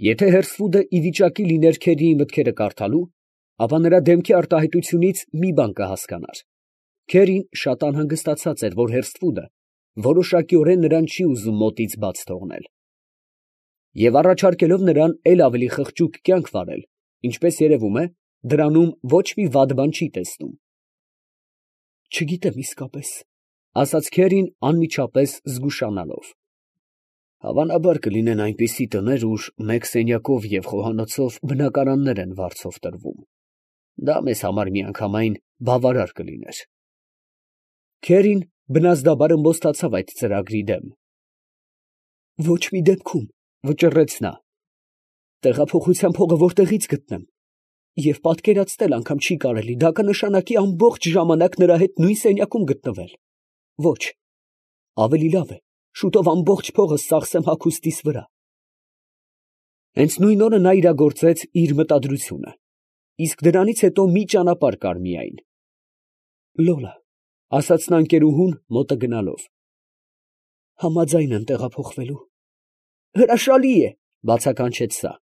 Եթե Հերսվուդը ի վիճակի լիներ Քերիի մտքերը կարդալու, ապա նրա դեմքի արտահայտությունից մի բան կհասկանար. Քերին շատ անհանգստացած էր, որ Հերսվուդը որոշակիորեն նրան չի ուզում մոտից բաց թողնել, և առաջարկելով նրան էլ ավելի խղճուկ կյանք վարել, ինչպես երևում է, դրանում ոչ մի վատ բան չի տեսնում։ «Չգիտեմ իսկապես, ֊ ասաց Քերին անմիջապես զգուշանալով. ֊ հավանաբար կլինեն այնպիսի տներ, ուր մեկ սենյակով և խոհանոցով բնակարաններ են վարձով տրվում. դա մեզ համար միանգամայն բավարար կլիներ։ Քերին բնազդաբար ըմբոստացավ այդ ծրագրի դեմ։ «Ոչ մի դեպքում, ֊ վճռեց նա, ֊ տեղափոխության փողը որտեղից գտնեմ, և պատկերացնել անգամ չի կարելի, դա կնշանակի ամբողջ ժամանակ նրա հետ նույն սենյակում գտնվել։ Ոչ, ավելի լավ է շուտով ամբողջ փողս ծախսեմ հագուստիս վրա»։ Հենց նույն օրը նա իրագործեց իր մտադրությունը, իսկ դրանից հետո մի ճանապարհ կար միայն։ «Լոլա, ֊ ասաց նա ընկերուհուն մոտը գնալով, ֊ համաձայն եմ տեղափոխվելու»։ «Հրաշալի է, ֊ բացականչեց նա։ ֊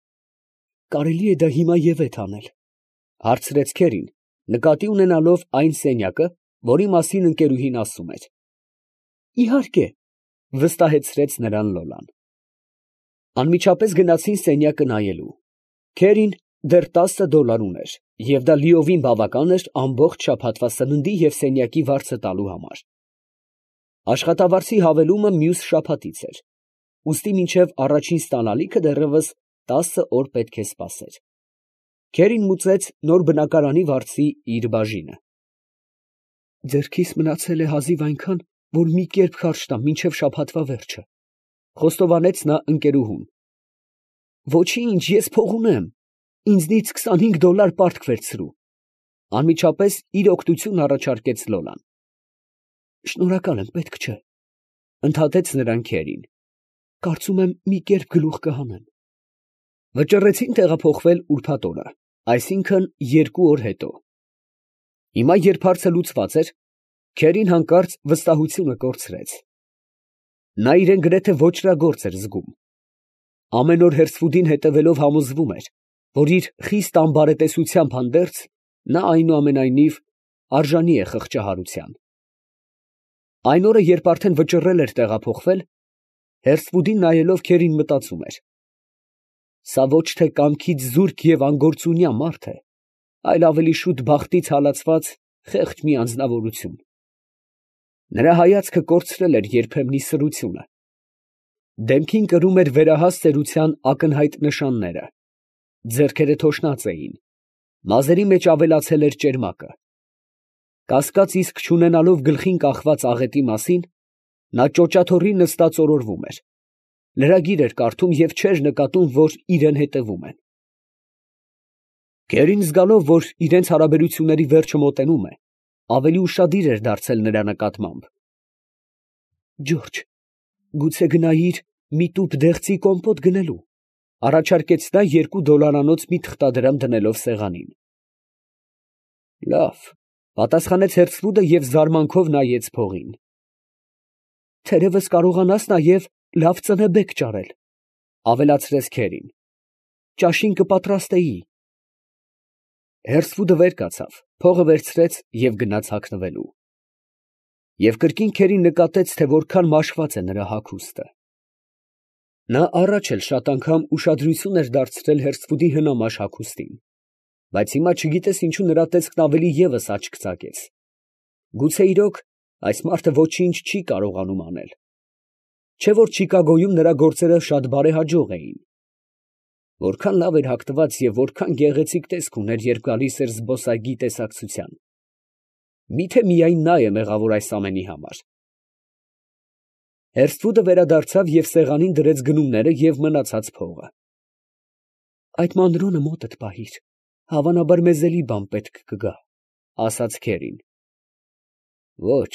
Կարելի է դա հիմա ևեթ անել, ֊ հարցրեց Քերին, նկատի ունենալով այն սենյակը, որի մասին ընկերուհին ասում էր։ «Իհարկե, ֊ վստահեցրեց նրան Լոլան։ Անմիջապես գնացին սենյակը նայելու։ Քերին դեռ $10 ուներ, և դա լիովին բավական էր ամբողջ շաբաթվա սննդի և սենյակի վարձը տալու համար։ Աշխատավարձի հավելումը մյուս շաբաթից էր, ուստի մինչև առաջին ստանալիքը դեռևս 10 օր պետք է սպասեր։ Քերին մուծեց նոր բնակարանի վարձի իր բաժինը։ «Ձեռքիս մնացել է հազիվ այնքան, որ մի կերպ քարշ տամ մինչև շաբաթվա վերջը, ֊ խոստովանեց նա ընկերուհուն։ Ոչինչ, ես փող ունեմ, ինձնից $25 պարտք վերցրու, ֊ անմիջապես իր օգնությունն առաջարկեց Լոլան։ Շնորհակալ եմ, պետք չէ, ֊ ընդհատեց նրան Քերին, կարծում եմ մի կերպ գլուխ կհանեմ։ Վճռեցին տեղափոխվել ուրբաթ օրը, այսինքն 2 օր հետո։ Հիմա, երբ հարցը լուծված էր, Քերին հանկարծ վստահությունը կորցրեց։ Նա իրան գրեթե ոճրագործ էր զգում։ Ամեն օր Հերսվուդին հետևելով համոզվում էր, որ իր խիստ անբարետեսությամբ հանդերձ, նա այնուամենայնիվ արժանի է խղճահարության։ Այն օրը, երբ արդեն վճռել էր տեղափոխվել, Հերսվուդին նայելով Քերին մտածում էր. սա ոչ թե կամքից զուրկ և անգործունյա մարդ է, այլ ավելի շուտ բախտից հալածված խեղճ մի անձնավորություն։ Նրա հայացքը կորցրել էր երբեմնի սրությունը։ Դեմքին կրում էր վերահաս ծերության ակնհայտ նշանները, ձեռքերը թոշնած էին, մազերի մեջ ավելացել էր ճերմակը։ Կասկած իսկ չունենալով գլխին կախված աղետի մասին, նա ճոճաթոռի նստած օրորվում էր, լրագիր էր կարդում և չէր նկատում, որ իրան հետևում են։ Քերին, զգալով, որ իրենց հարաբերությունների վերջը մոտենում է, ավելի ուշադիր էր դարձել նրա նկատմամբ։ «Ջորջ, գուցե գնայիր մի տուփ դեղցի կոմպոտ գնելու, ֊ առաջարկեց նա $2 մի թղթադրամ դնելով սեղանին։ Լավ, ֊ պատասխանեց Հերսվուդը և զարմանքով նայեց փողին։ Թերևս կարողանաս նաև լավ ծնեբեկ ճարել, ֊ ավելացրեց Քերին, ֊ ճաշին կպատրաստեի։ Հերսվուդը վեր կացավ, փողը վերցրեց և գնաց հագնվելու։ Եվ կրկին Քերին նկատեց, թե որքան մաշված է նրա հագուստը։ Նա առաջ էլ շատ անգամ ուշադրություն էր դարձրել Հերսվուդի հնամաշ հագուստին, բայց հիմա չգիտես ինչու նրա տեսքն ավելի ևս աչք ծակեց։ Գուցե իրոք այս մարդը ոչինչ չի կարողանում անել, չէ՞ որ Չիկագոյում նրա գործերը շատ բարեհաջող էին։ Որքան լավ էր հագնված և որքան գեղեցիկ տեսք ուներ, երբ գալիս էր զբոսայգի տեսակցության։ Միթե միայն նա է մեղավոր այս ամենի համար։ Հերսվուդը վերադարձավ և սեղանին դրեց գնումները և մնացած փողը։ Այդ մանրոնը մոտդ պահիր, հավանաբար մեզ էլի բան պետք կգա, ֊ ասաց Քերին։ Ոչ,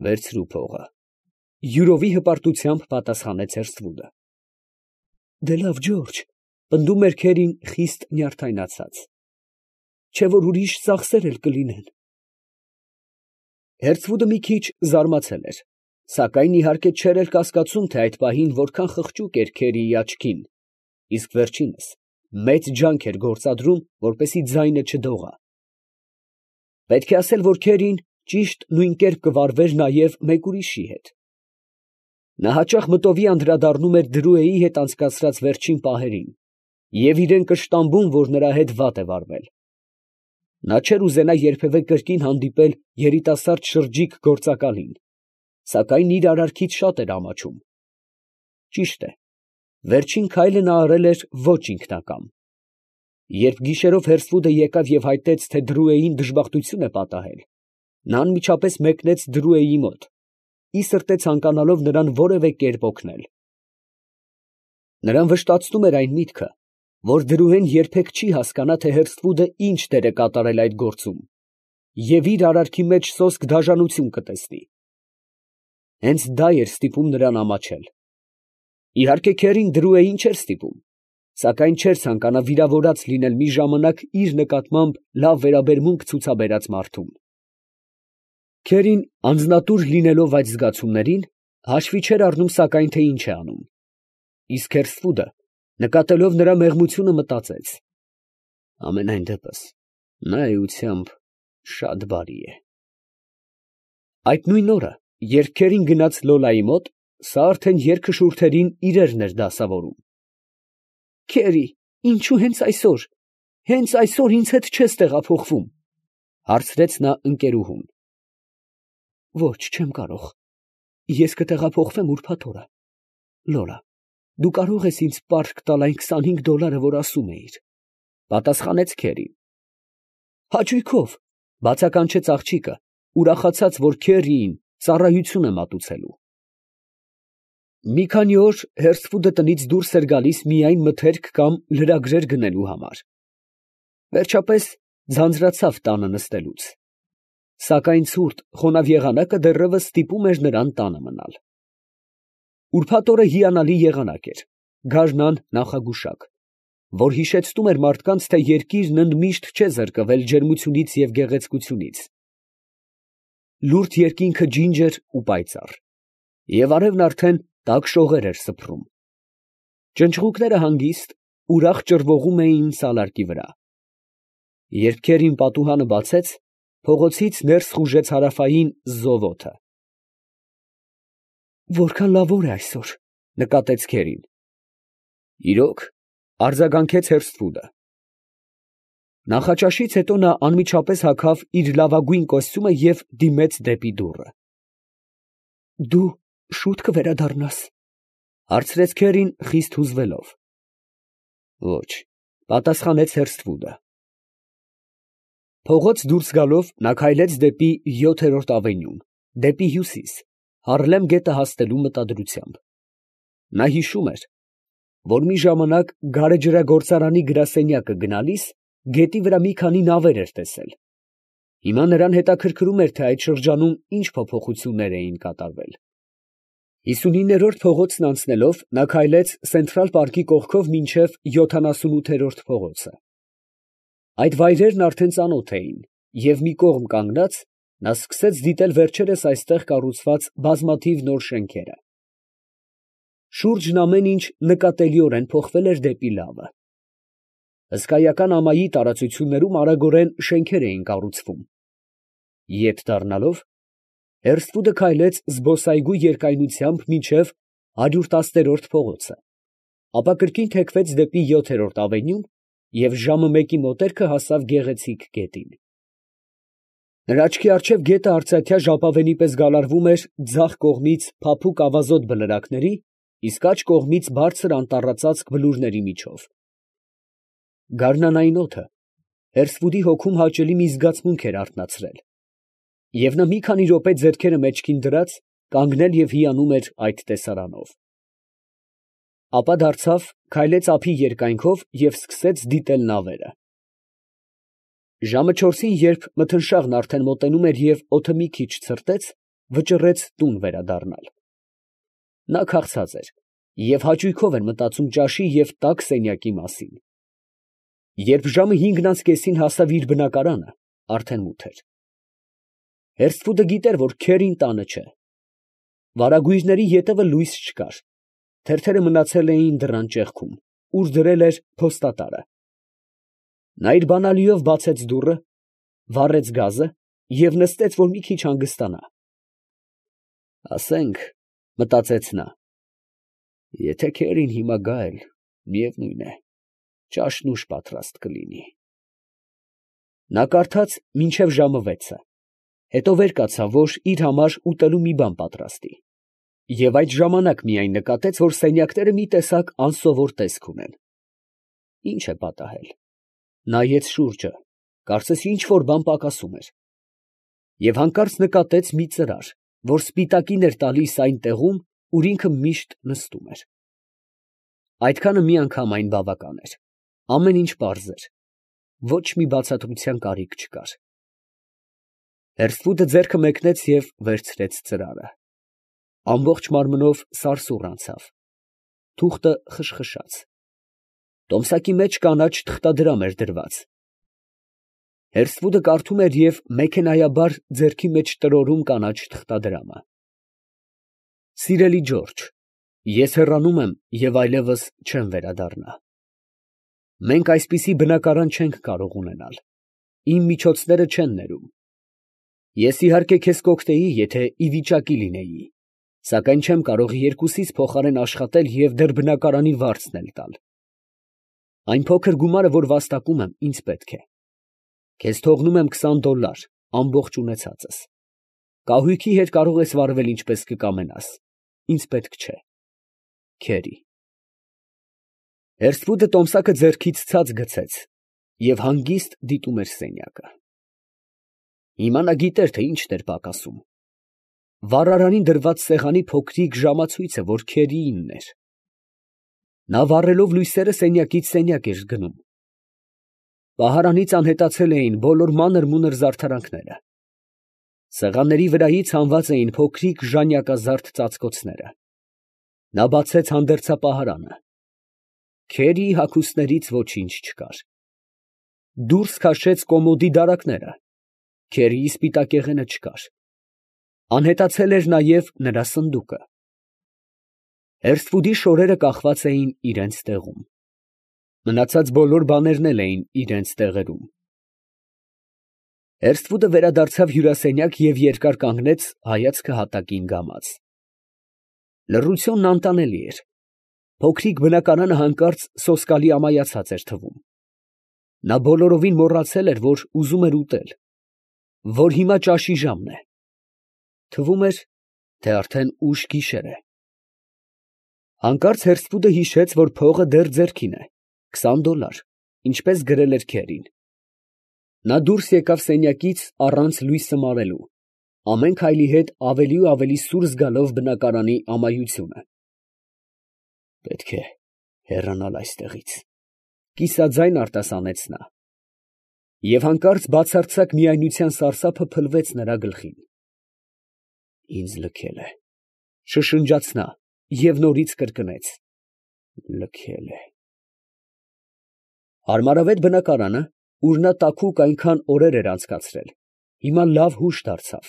վերցրու փողը, ֊ յուրովի հպարտությամբ պատասխանեց Հերսվուդը։ Դե լավ, Ջորջ, ֊ պնդում էր Քերին խիստ նյարդայնացած, չէ՞ որ ուրիշ ծախսեր էլ կլինեն։ Հերսվուդը մի քիչ զարմացել էր, սակայն իհարկե չէր էլ կասկածում, թե այդ պահին որքան խղճուկ էր Քերիի աչքին, իսկ վերջինս մեծ ջանք էր գործադրում, որպեսզի ձայնը չդողա։ Պետք է ասել, որ Քերին ճիշտ նույն կերպ կվարվեր նաև մեկ ուրիշի հետ։ Նա հաճախ մտովի անդրադառնում էր Դրուեի հետ անցկացրած վերջին պահերին և իրեն կշտամբում, որ նրա հետ վատ է վարվել։ Նա չէր ուզենա երբևէ կրկին հանդիպել երիտասարդ շրջիկ գործակալին, սակայն իր արարքից շատ էր ամաչում։ Ճիշտ է, վերջին քայլը նա արել էր ոչ ինքնակամ։ Երբ գիշերով Հերսֆուդը եկավ և հայտնեց, թե Դրուեին դժբախտություն է պատահել, նա անմիջապես մեկնեց Դրուեի մոտ, ի սրտե ցանկանալով նրան որևէ կերպ օգնել։ Նրան վշտացնում էր այն միտքը, որ Դրուեն երբեք չի հասկանա, թե Հերսֆուդը ինչ դեր է կատարել այդ գործում, և իր արարքի մեջ սոսկ դաժանություն կտեսնի։ Հենց դա էր ստիպում նրան ամաչել։ Իհարկե Քերին Դրուեին չէր ստիպում, սակայն չէր ցանկանա վիրավորած լինել մի ժամանակ իր նկատմամբ լավ վերաբերմունք ցուցաբերած մարդուն։ Քերին անձնատուր լինելով այդ զգացումներին, հաշվի չէր առնում սակայն, թե ինչ է անում։ Իսկ Հերսֆուդը, նկատելով նրա մեղմությունը, մտածեց. ամենայն դեպս, նա էությամբ շատ բարի է։ Այդ նույն օրը, երբ Քերին գնաց Լոլայի մոտ, սա արդեն երգը շուրթերին իրերն էր դասավորում։ «Քերի, ինչու հենց այսօր ինձ հետ չես տեղափոխվում, ֊ հարցրեց նա ընկերուհուն։ ֊ Ոչ, չեմ կարող, ես կտեղափոխվեմ ուրբաթ օրը։ Լորա, դու կարող ես ինձ պարտք տալ այն $25, որ ասում էիր, ֊ պատասխանեց Քերին։ Հաճույքով, ֊ բացականչեց աղջիկը, ուրախացած, որ Քերիին ծառայություն է մատուցելու։ Մի քանի օր Հերսֆուդը տնից դուրս էր գալիս միայն մթերք կամ լրագրեր գնելու համար։ Վերջապես ձանձրացավ տանը նստելուց, սակայն ցուրտ խոնավ եղանակը դեռևս ստիպում էր նրան տանը մնալ։ Ուրբաթ օրը հիանալի եղանակ էր, գարնան նախագուշակ, որ հիշեցնում էր մարդկանց, թե երկիրն ընդմիշտ չէ զրկվել ջերմությունից և գեղեցկությունից։ Լուրջ երկինքը ջինջ էր ու պայծառ, և արևն արդեն տաք շողեր էր սփռում։ Ճնճղուկները հանգիստ, ուրախ ճռվողում էին սալարկի վրա։ Երբ Քերին պատուհանը բացեց, փողոցից ներս խուժեց հարավային զով օդը։ «Որքան լավ օր է այսօր, ֊ նկատեց Քերին։ ֊ Իրո՞ք, ֊ արձագանքեց Հերսֆուդը։ Նախաճաշից հետո նա անմիջապես հագավ իր լավագույն կոստյումը և դիմեց դեպի դուռը։ ֊ Դու շո՞ւտ կվերադառնաս, ֊ հարցրեց Քերին խիստ հուզվելով։ ֊ Ոչ, ֊ պատասխանեց Հերսֆուդը։ Փողոց դուրս գալով, նա քայլեց դեպի 7-րդ ավենյուն, դեպի հյուսիս, Հարլեմ գետը հասնելու մտադրությամբ։ Նա հիշում էր, որ մի ժամանակ գարեջրագործարանի գրասենյակը գնալիս գետի վրա մի քանի նավեր էր տեսել։ Հիմա նրան հետաքրքրում էր, թե այդ շրջանում ինչ փոփոխություններ էին կատարվել։ 59-րդ փողոցն անցնելով, նա քայլեց Սենտրալ պարկի կողքով մինչև 78-րդ փողոցը։ Այդ վայրերն արդեն ծանոթ էին, և մի կողմ կանգնած, նա սկսեց դիտել վերջերս այստեղ կառուցված բազմաթիվ նոր շենքերը։ Շուրջն ամեն ինչ նկատելիորեն փոխվել էր դեպի լավը։ Հսկայական ամայի տարածություններում արագորեն շենքեր էին կառուցվում։ Ետ դառնալով, Հերսֆուդը քայլեց զբոսայգու երկայնությամբ մինչև 110-րդ փողոցը, ապա կրկին թեքվեց դեպի 7-րդ ավենյուն և ժամը մեկի մոտերքը հասավ գեղեցիկ գետին։ Նրա աչքի առջև գետը արծաթյա ժապավենի պես գալարվում էր ձախ կողմից փափուկ ավազոտ բլրակների, իսկ աջ կողմից բարձր անտառածածկ բլուրների միջով։ Գարնանային օդը Հերսֆուդի հոգում հաճելի մի զգացմունք էր արթնացրել, և նա մի քանի րոպե ձեռքերը մեջքին դրած, կանգնել և հիանում էր այդ տեսարանով։ Ապա դարձավ, քայլեց ափի երկայնքով և սկսեց դիտել նավերը։ Ժամը 4-ին, երբ մթնշաղն արդեն մոտենում էր և օդը մի քիչ ցրտեց, վճռեց տուն վերադառնալ։ Նա քաղցած էր և հաճույքով էր մտածում ճաշի և տաք սենյակի մասին։ Երբ ժամը 5-ին հասավ իր բնակարանը, արդեն մութ էր։ Հերսֆուդը գիտեր, որ Քերին տանը չէ։ Վարագույրների ետևը լույս չկար, թերթերը մնացել էին դռան ճեղքում։ ուր դրել էր փոստատարը։ Նա իր բանալիով բացեց դուռը, վառեց գազը և նստեց, որ մի քիչ հանգստանա։ «Ասենք, ֊ մտածեց նա, ֊ եթե քերին հիմա գա էլ, միևնույն է, ճաշն ուշ պատրաստ կլինի»։ Նա կարդաց մինչև ժամը 6-ը, հետո վեր կացավ, որ իր համար ուտելու մի բան պատրաստի, և այդ ժամանակ միայն նկատեց, որ սենյակները մի տեսակ անսովոր տեսք ունեն։ Ի՞նչ է պատահել։ Նայեց շուրջը, կարծես ինչ֊որ բան պակասում էր, և հանկարծ նկատեց մի ծրար, որ սպիտակին էր տալիս այն տեղում, ուր ինքը միշտ նստում էր։ Այդքանը միանգամայն բավական էր, ամեն ինչ պարզ էր, ոչ մի բացատրության կարիք չկար։ Հերսվուտը ձեռքը մեկնեց և վերցրեց ծրարը։ Ամբողջ մարմնով սարսուռ անցավ, թուղթը խշխշաց։ Տոմսակի մեջ կանաչ թղթադրամ էր դրված։ Հերսվուտը կարդում էր և մեքենայաբար ձեռքի մեջ տրորում կանաչ թղթադրամը։ Սիրելի Ջորջ, ես հեռանում եմ և այլևս չեմ վերադառնա։ Մենք այսպիսի բնակարան չենք կարող ունենալ, իմ միջոցները չեն ներում։ Ես իհարկե քեզ կօգնեի, եթե ի վիճակի լինեի, սակայն չեմ կարող երկուսիս փոխարեն աշխատել և դեռ բնակարանի վարձն էլ տալ։ Այն փոքր գումարը, որ վաստակում եմ, ինձ պետք է։ Քեզ թողնում եմ $20, ամբողջ ունեցածս։ Կահույքի հետ կարող ես վարվել ինչպես կկամենաս, ինձ պետք չէ։ Քերի։ Հերսվուտը տոմսակը ձեռքից ցած գցեց և հանգիստ դիտում էր սենյակը։ Հիմա նա գիտեր, թե ինչն էր պակասում։ Վառարանին դրված սեղանի փոքրիկ ժամացույցը, որ քերիինն էր։ Նա վառելով լույսերը սենյակից սենյակ էր գնում։ Պահարանից անհետացել էին բոլոր մանր֊մունր զարդարանքները։ Սեղանների վրայից հանված էին փոքրիկ ժանյակազարդ ծածկոցները։ Նա բացեց հանդերձապահարանը։ Քերիի հագուստներից ոչինչ չկար։ Դուրս քաշեց կոմոդի դարակները։ Քերիի սպիտակեղենը չկար։ Անհետացել էր նաև նրա սնդուկը։ Հերսվուտի շորերը կախված էին իրանց տեղում։ Մնացած բոլոր բաներն էլ էին իրանց տեղերում։ Հերսվուտը վերադարձավ հյուրասենյակ և երկար կանգնեց, հայացքը հատակին գամած։ Լռությունն անտանելի էր։ Փոքրիկ բնակարանը հանկարծ սոսկալի ամայացած էր թվում։ Նա բոլորովին մոռացել էր, որ ուզում էր ուտել, որ հիմա ճաշի ժամն է։ Թվում էր, թե արդեն ուշ գիշեր է։ Հանկարծ Հերսվուտը հիշեց, որ փողը դեռ ձեռքին է, $20, ինչպես գրել էր քերին։ Նա դուրս եկավ սենյակից առանց լույսը մարելու, ամեն քայլի հետ ավելի ու ավելի սուր զգալով բնակարանի ամայությունը։ Պետք է հեռանալ այստեղից, կիսաձայն արտասանեց նա։ Եվ հանկարծ բացարձակ միայնության սարսափը փլվեց նրա գլխին։ Ինձ լքել է, շշնջաց նա և նորից կրկնեց. լքել է։ Հարմարավետ բնակարանը, ուր նա տաքուկ այնքան օրեր էր անցկացրել, հիմա լավ հուշ դարձավ։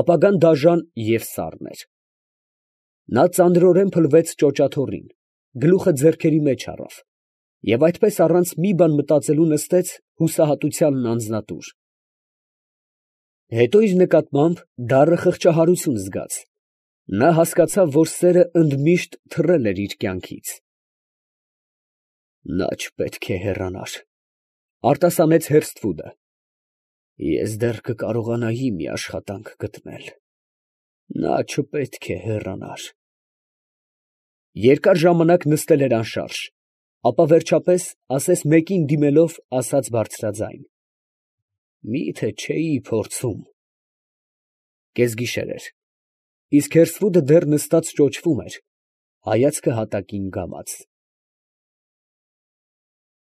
Ապագան դաժան և սառն էր։ Նա ծանրորեն փլվեց ճոճաթոռին, գլուխը ձեռքերի մեջ առավ և այդպես առանց մի բան մտածելու նստեց հուսահատությանն անձնատուր։ Հետո իր նկատմամբ դառը խղճահարություն զգաց, նա հասկացավ, որ սերը ընդմիշտ թռել էր իր կյանքից։ Նա չպետք է հեռանար, արտասանեց Հերսթվուդը։ Ես դեռ կկարողանայի մի աշխատանք գտնել։ Նա չպետք է հեռանար։ Երկար ժամանակ նստել էր անշարժ, ապա վերջապես, ասես մեկին դիմելով, ասաց բարձրաձայն. Մի՞թե չէի փորձում։ Կեսգիշեր էր, իսկ Հերսվուդը դեռ նստած ճոճվում էր, հայացքը հատակին գամած։